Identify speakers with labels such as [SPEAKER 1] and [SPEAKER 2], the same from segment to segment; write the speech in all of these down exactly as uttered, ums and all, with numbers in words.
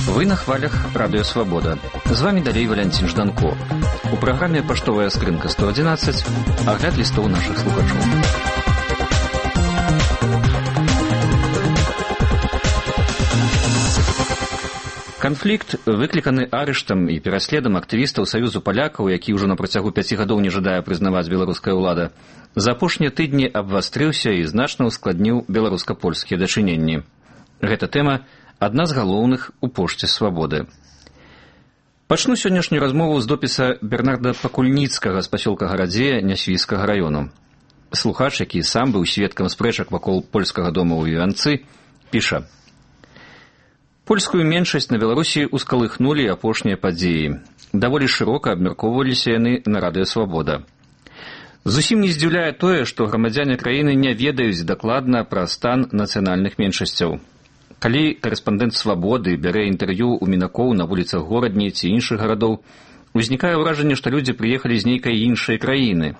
[SPEAKER 1] Вы на хвалях Радио Свобода. З вами далей Валянцін Жданко. У праграме «Паштовая скрынка сто одиннадцать» агляд лістоў нашых слухачоў. Канфлікт, выкліканы арыштам і пераследам актывістаў Саюзу палякаў, які ўжо на працягу пяці гадоў не жадае прызнаваць беларуская ўлада, за апошнія тыдні абвастрыўся і значна ўскладніў беларуска-польскія дачыненні. Гэта тэма адна з галоўных у пошце «Свабоды». Пачну сённяшнюю размову з допіса Бернарда Пакульніцкага з пасёлка Гарадзея Нясвійскага раёну. Слухач, які сам быў сведкам спрэчак вакол польскага дома ў Івянцы, піша: «Польскую меншасць на Беларусі ускалыхнулі апошнія падзеі. Даволі шырока абмяркоўваліся яны на Радыё Свабода. Зусім не здзіўляе тое, што грамадзяне краіны не ведаюць дакладна пра стан нацыянальных меншасцяў. Калі карэспандэнт «Свабоды» бярэ інтэрв'ю ў мінакоў на вуліцах горадні ці іншых гарадоў, узнікае ўражанне, што людзі прыехалі з нейкай іншай краіны.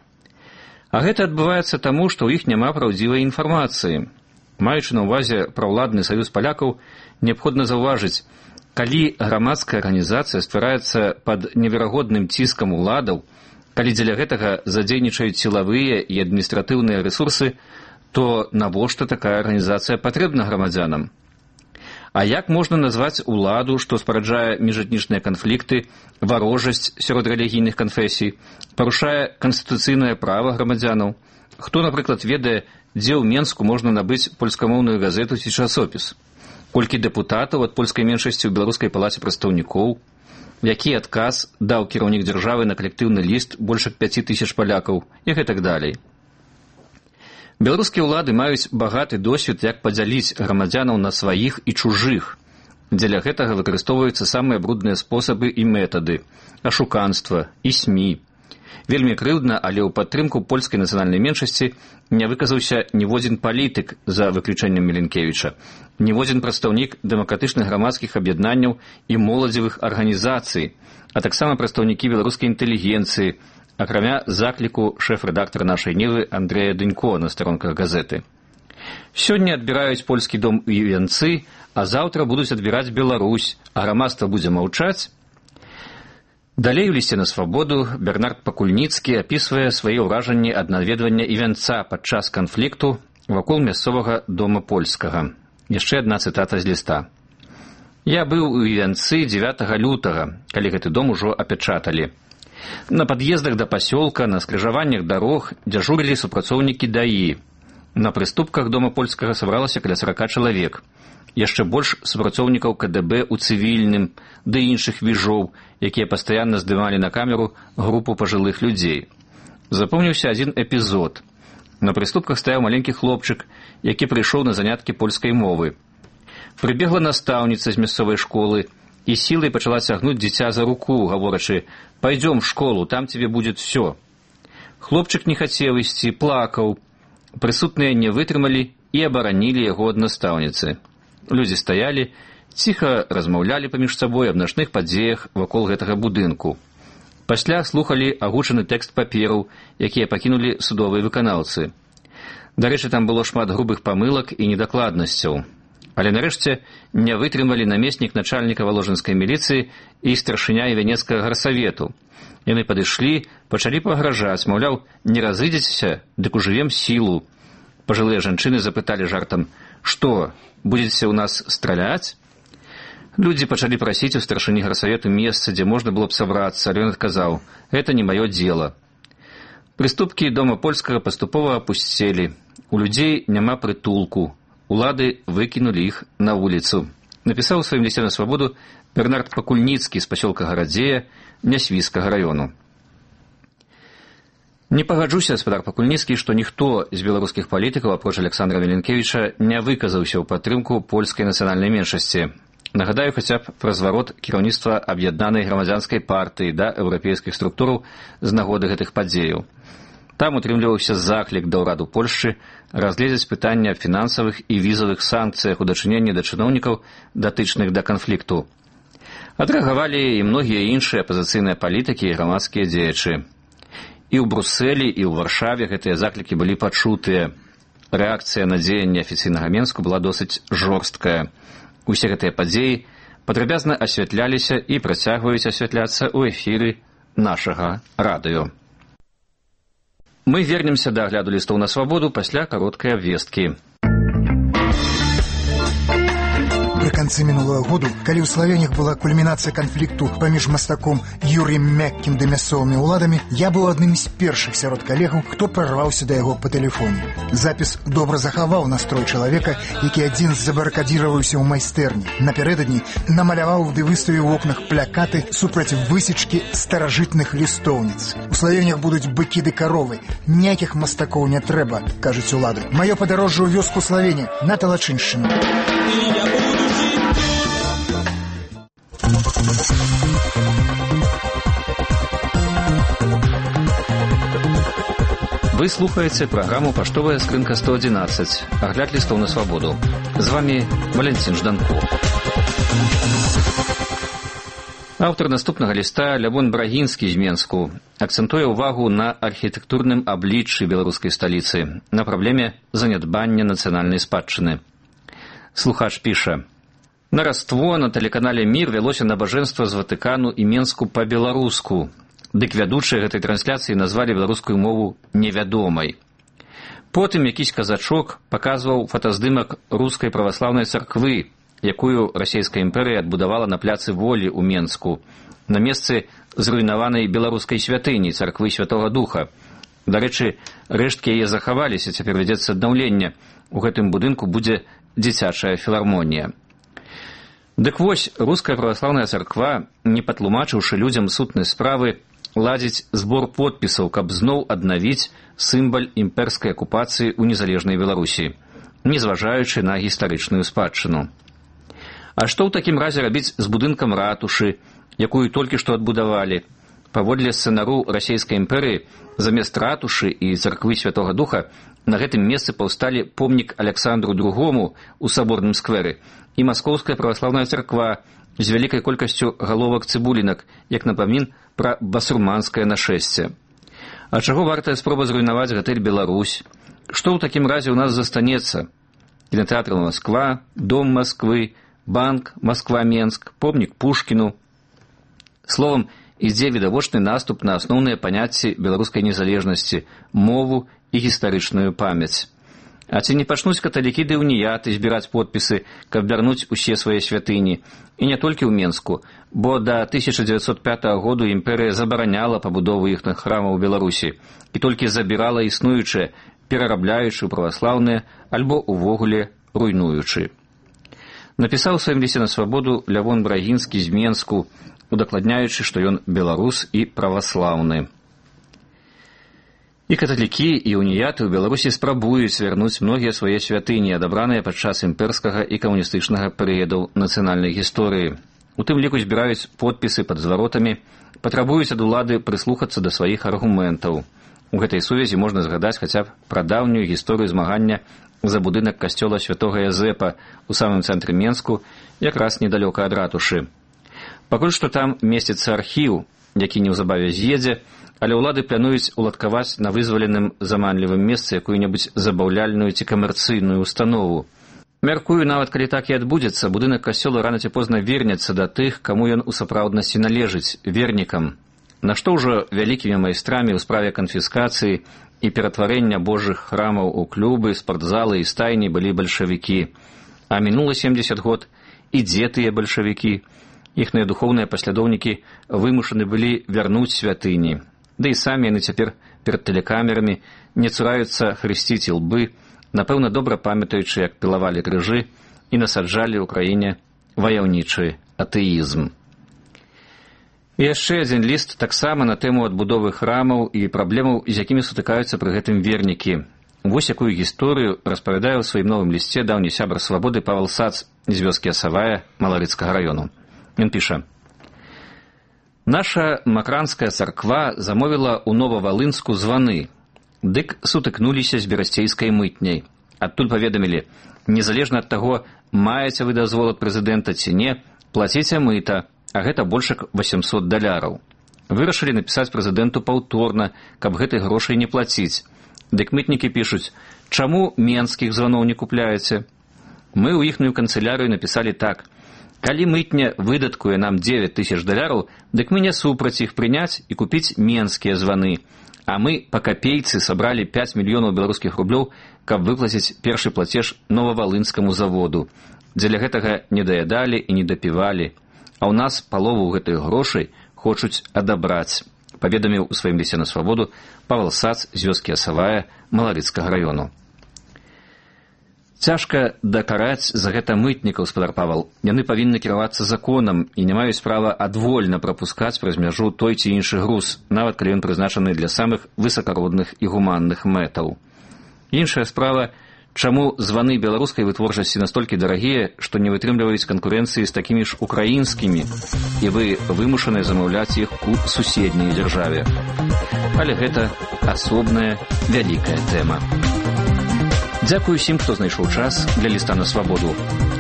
[SPEAKER 1] А гэта адбываецца таму, што ў іх няма праўдзівай інфармацыі. Маючы на ўвазе праўладны саюз палякаў, неабходна заўважыць, калі грамадская арганізацыя ствараецца пад неверагодным ціскам уладаў, калі дзеля гэтага задзейнічаюць сілавыя і адміністратыўныя рэсурсы, то навошта такая арганізацыя патрэбна грамадзянам? А як можна назваць уладу, што спараджае міжэтнічныя канфлікты, варожасць сярод рэлігійных канфесій, парушае канстытуцыйнае права грамадзянаў? Хто, напрыклад, ведае, дзе ў Менску можна набыць польскамоўную газету ці часопіс? Колькі дэпутатаў ад польскай меншасці ў Беларускай палаце прадстаўнікоў? Які адказ даў кіраўнік дзяржавы на калектыўны ліст больш як пяці тысяч палякаў? І гэтак далей. Беларускія ўлады маюць багаты досвед, як падзяліць грамадзянаў на сваіх і чужых. Дзеля гэтага выкарыстоўваюцца самыя брудныя спосабы і метады – ашуканства і СМІ. Вельмі крыўдна, але ў падтрымку польскай нацыянальнай меншасці не выказаўся ніводзін палітык, за выключэннем Міленкевіча, ніводзін прадстаўнік дэмакратычных грамадскіх аб'яднанняў і моладзевых арганізацый, а таксама прадстаўнікі беларускай інтэлігенцыі, акрамя закліку шэф-рэдактара нашай Нівы Андрэя Дынько на старонках газеты. Сёння адбіраюць польскі дом у Івянцы, а заўтра будуць адбіраць Беларусь, а грамадства будзе маўчаць? Далей у лісце на Свабоду Бернард Пакульніцкі апісвае свае ўражанні ад наведвання Івянца падчас канфлікту вакол мясцовага дома польскага. Яшчэ адна цытата з ліста. «Я быў у Івянцы дзевятага лютага, калі гэты дом ужо апячаталі. На пад'ездах да пасёлка, на скрыжаваннях дарог дзяжурылі супрацоўнікі ДАІ. На прыступках дома польскага сабралася каля сарака чалавек. Яшчэ больш супрацоўнікаў КДБ у цывільным, ды іншых віжоў, якія пастаянна здымалі на камеру групу пажылых людзей. Запомніўся адзін эпізод. На прыступках стаяў маленькі хлопчык, які прыйшоў на заняткі польскай мовы. Прыбегла настаўніца з мясцовай школы і сілай пачала цягнуць дзіця за руку, гаворачы: «Пойдем в школу, там тебе будет все». Хлопчык не хацеў ісці, плакаў. Прысутныя не вытрымалі і абаранілі яго ад настаўніцы. Людзі стаялі, ціха размаўлялі паміж сабой аб начных падзеях вакол гэтага будынку. Пасля слухалі агучаны тэкст папераў, якія пакінулі судовыя выканаўцы. Дарэчы, там было шмат грубых памылак і недакладнасцяў. Але нарэшце не вытрымалі намеснік начальніка валожынскай міліцыі і старшыня Івянецкага гарсавету. Яны падышлі, пачалі пагражаць, маўляў, не разыдзецеся, дык ужывем сілу. Пажылыя жанчыны запыталі жартам: «Што, будзеце ў нас страляць?» Людзі пачалі прасіць у старшыні гарсавету месца, дзе можна было б сабрацца, але ён адказаў: «Гэта не маё дзела». Прыступкі дома польскага паступова апусцелі. У людзей няма прытулку. Улады выкінулі іх на вуліцу. Напісаў у сваім лісце на Свабоду Бернард Пакульніцкі з пасёлка Гарадзея Нясвійскага раёну. Не пагаджуся, гаспадар Пакульніцкі, што ніхто з беларускіх палітыкаў, апроч Александра Міленкевіча, не выказаўся ў падтрымку польскай нацыянальнай меншасці. Нагадаю хаця б пра зварот кіраўніцтва аб'яднанай грамадзянскай партыі да еўрапейскіх структураў з нагоды гэтых падзеяў. Там утрымліваўся заклік да ўраду Польшчы разгледзець пытанне аб фінансавых і візавых санкцыях у дачыненні да чыноўнікаў, датычных да канфлікту. Адрэагавалі і многія іншыя апазіцыйныя палітыкі і грамадскія дзеячы. І ў Брусэлі, і ў Варшаве гэтыя заклікі былі пачутыя. Рэакцыя на дзеянні афіцыйнага Менску была досыць жорсткая. Усе гэтыя падзеі падрабязна асвятляліся і працягваюць асвятляцца ў эфіры нашага радыё. Мы вернемся да агляду лістоў на свабоду пасля кароткай абвесткі.
[SPEAKER 2] Пры канцы мінулого году, калі ў Славенях была кульмінацыя канфлікту паміж мастаком Юрыем Мяккім ды мясцовымі ўладамі, я быў адным з першых сярод калегаў, хто прарваўся да яго па тэлефоне. Запіс добра захаваў настрой чалавека, які адзін забарыкадзіраваўся ў майстэрні. Напярэдадні намаляваў ды выставіў у окнах плакаты супраць высечкі старажытных лістоўніц. У Славенях будуць быкі ды каровы. Ніякіх мастакоў не трэба, кажуць улады. Маё падарожжа ў вёску Славені на Талачыншчыну.
[SPEAKER 1] Вы слухаеце праграму «Паштовая скрынка сто адзінаццаць», агляд лістоў на свабоду. З вами Валентин Жданко. Аўтар наступнага ліста Лявон Брагінскі з Менску акцэнтуе ўвагу на архітэктурным абліччы беларускай сталіцы, на праблеме занядбання нацыянальнай спадчыны. Слухач піша: «На раство на тэлеканале «Мір» вялося набажэнства з Ватыкану і Менску па-беларуску. Дык вядучыя гэтай трансляцыі назвалі беларускую мову невядомай. Потым якісь казачок паказваў фотаздымак рускай праваслаўнай царквы, якую расійская імперыя адбудавала на пляцы Волі ў Менску, на месцы зруйнаванай беларускай святыні, царквы Святога Духа. Дарэчы, рэшткі яе захаваліся, цяпер вядзецца аднаўленне. У гэтым будынку будзе дзіцячая філармонія. Дык вось, руская праваслаўная царква, не патлумачыўшы людзям сутнай справы, ладзіць збор подпісаў, каб зноў аднавіць сімвал імперскай акупацыі ў незалежнай Беларусі, незважаючы на гістарычную спадчыну. А што ў такім разе рабіць з будынкам ратушы, якую толькі што адбудавалі? Паводле сцэнару расійскай імперыі, замест ратушы і царквы Святога Духа на гэтым месцы паўсталі помнік Аляксандру другому ў саборным скверы і Маскоўская праваслаўная царква з вялікай колькасцю галовак цыбулінак, як напамін пра басурманскае нашэсце. А чаго вартая спроба зруйнаваць гатэль «Беларусь»? Што ў такім разе ў нас застанецца? Кінатэатр «Москва», дом Москвы, банк «Москва-Менск», помнік Пушкіну. Словам, ідзе відавочны наступ на асноўныя паняцці беларускай незалежнасці, мову і гістарычную памяць. А ці не пачнуць каталікі ды уніяты збіраць подпісы, каб вярнуць усе свае святыні? І не толькі ў Менску, бо да тысяча дзевяцьсот пятага году імперыя забараняла пабудову іхных храмаў у Беларусі і толькі забірала існуючыя, перарабляючы ў праваслаўныя альбо увогуле руйнуючы. Напісаў у сваім лісце на свабоду Лявон Брагінскі з Менску, удакладняючы, што ён беларус і праваслаўны. І каталікі, і уніяты ў Беларусі спрабуюць вярнуць многія свае святыні, адабраныя падчас імперскага і камуністычнага перыядаў нацыянальнай гісторыі. У тым ліку збіраюць подпісы пад зваротамі, патрабуюць ад улады прыслухацца да сваіх аргументаў. У гэтай сувязі можна згадаць хаця б пра даўнюю гісторыю змагання за будынак касцёла Святога Язэпа ў самым цэнтры Менску, якраз недалёка ад ратушы. Пакуль што там месціцца архіў, які неўзабаве з'едзе, але ўлады плануюць уладкаваць на вызваленым заманлівым месцы якую-небудзь забаўляльную ці камерцыйную установу. Мяркую, нават калі так і адбудзецца, будынак касцёла рана ці позна вернецца да тых, каму ён у сапраўднасці належыць, вернікам. Нашто ўжо вялікімі майстрамі ў справе канфіскацыі і ператварэння божых храмаў у клубы, спартзалы і стайні былі бальшавікі. А мінула семдзесят год, і дзе тыя бальшавікі? Іхныя духоўныя паслядоўнікі вымушаны былі вярнуць святыні. Ды і самі яны цяпер перад тэлекамерамі не цураюцца хрысціць ілбы, напэўна, добра памятаючы, як пілавалі крыжы і насаджалі ў краіне ваяўнічы атэізм. І яшчэ адзін ліст таксама на тэму адбудовы храмаў і праблемаў, з якімі сутыкаюцца пры гэтым вернікі. Вось якую гісторыю распавядае ў сваім новым лісце даўні сябар свабоды Павел Сац з вёскі Асавая Маларыцкага раёну. Ён піша: «Наша макранская царква замовіла ў Новавалынску званы, дык сутыкнуліся з берасцейскай мытняй. Адтуль паведамілі, незалежна ад таго, маеце вы дазвол ад прэзідэнта ці не, плаціце мыта, а гэта больш як восемьсот даляраў. Вырашылі напісаць прэзідэнту паўторна, каб гэтай грошай не плаціць. Дык мытнікі пішуць: «Чаму менскіх званоў не купляеце?» Мы ў іхнюю канцылярыю напісалі так: «Калі мытня выдаткуе нам дзевяць тысяч даляраў, дык мы не супраць іх прыняць і купіць менскія званы. А мы па капейцы сабралі пяць мільёнаў беларускіх рублёў, каб выплаціць першы плацеж новавалынскаму заводу. Дзеля гэтага не даядалі і не дапівалі. А ў нас палову гэтых грошай хочуць адабраць», паведаміў у сваім лісце на свабоду Павел Сац з вёскі Асавая Маларыцкага раёну. Цяжка дакараць за гэта мытнікаў, спадар Павел. Яны павінны кіравацца законам і не маюць права адвольна прапускаць праз мяжу той ці іншы груз, нават калі ён прызначаны для самых высакародных і гуманных мэтаў. Іншая справа, чаму званы беларускай вытворчасці настолькі дарагія, што не вытрымліваюць канкурэнцыі з такімі ж украінскімі, і вы вымушаныя замаўляць іх у суседняй дзяржаве. Але гэта асобная вялікая тэма. Дзякую усім, хто знайшоў час для ліста на свабоду.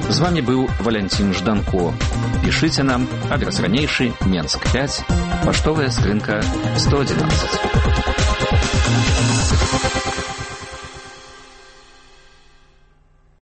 [SPEAKER 1] З вами быў Валянцін Жданко. Пішыце нам, адрес ранейшы, Менск пяць, паштовая скрынка сто адзінаццаць.